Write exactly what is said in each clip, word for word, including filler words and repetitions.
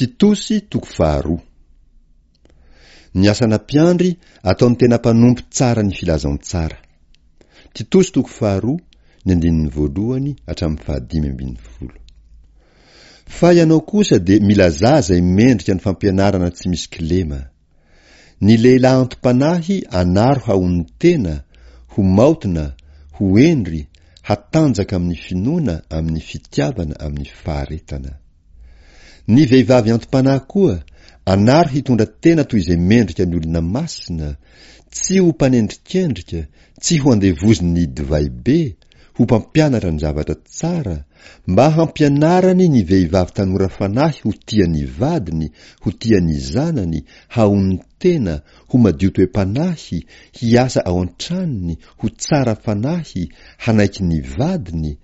Titosy toko faharoa. Ny asana mpiandry ataon'ny tena mpanompo tsara ny filazantsara. Titosy toko faharoa, ny andininy voalohany hatramin'ny fahadimy ambin'ny folo. Fa ianao kosa dia milazà izay mendrika ny fampianarana tsy misy kilema. Ny lehilahy anti-panahy anaro hahonon-tena, ho maotina, ho hendry, hatanjaka amin'ny finoana, amin'ny fitiavana, amin'ny faharetana. Ny vehivavy anti-panahy koa anaro hitondra tena toy izay mendrika ny olona masina, tsy ho mpanendrikendrika, tsy ho andevozin'ny divay be, ho mpampianatra ny zavatra tsara, mba hampianarany ny vehivavy tanora fanahy ho tia ny vadiny, ho tia ny zanany, hahonon-tena, ho madio toe-panahy, hiasa ao an-tranony, ho tsara fanahy, hanaiky ny vadiny,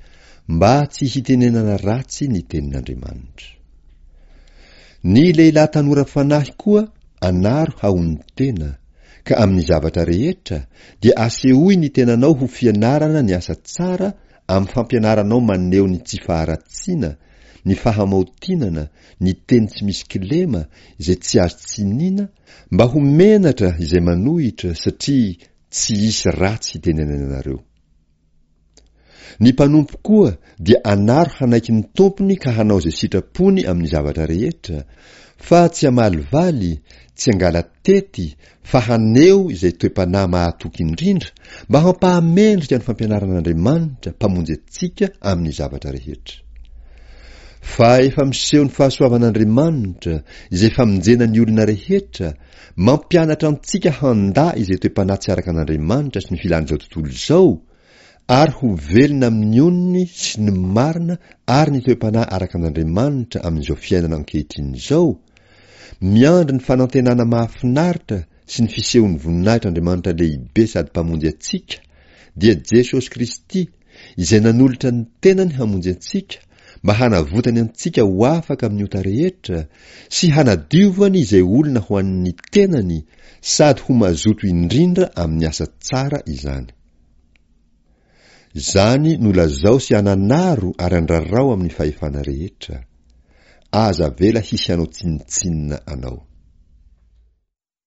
mba tsy hitenenana ratsy ny tenin'Andriamanitra. Ny lehilahy tanora fanahy koa anaro hahonon-tena, ka amin'ny zavatra rehetra dia asehoy ny tenanao ho fianarana ny asa tsara amin'ny fampianaranao maneho ny tsy faharatsiana, ny fahamaotinana, ny teny tsy misy kilema izay tsy azo tsinina, mba ho menatra izay manohitra satria tsy hisy ratsy hitenenany anareo. Ny mpanompo koa dia anaro hanaiky ny tompony ka hanao izay sitrapony amin'ny zavatra rehetra, fa tsy hamalivaly, tsy hangala-tety, fa haneho izay toe-panahy mahatoky indrindra mba hampahamendrika ny fampianaran'Andriamanitra mpamonjy antsika amin'ny zavatra rehetra. Fa efa miseho ny fahasoavan'Andriamanitra izay famonjena ny olona rehetra, mampianatra antsika handà izay toe-panahy tsy araka an'Andriamanitra sy ny filan'izao tontolo izao, ary ho velona amin'ny onony sy ny marina ary ny toe-panahy araka an'Andriamanitra amin'izao fiainana ankehitriny izao, miandry ny fanantenana mahafinaritra sy ny fisehon'ny voninahitr'Andriamanitra lehibe sady mpamonjy antsika, dia Jesosy Kristy, izay nanolotra ny tenany hamonjy antsika, mba hanavotany antsika ho afaka amin'ny ota rehetra, sy hanadiovany izay olona ho an'ny tenany, sady ho mazoto indrindra amin'ny asa tsara izany. Izany no lazao sy ananaro ary andrarao amin'ny fahefana rehetra. Aza avela hisy hanao tsinontsinona anao.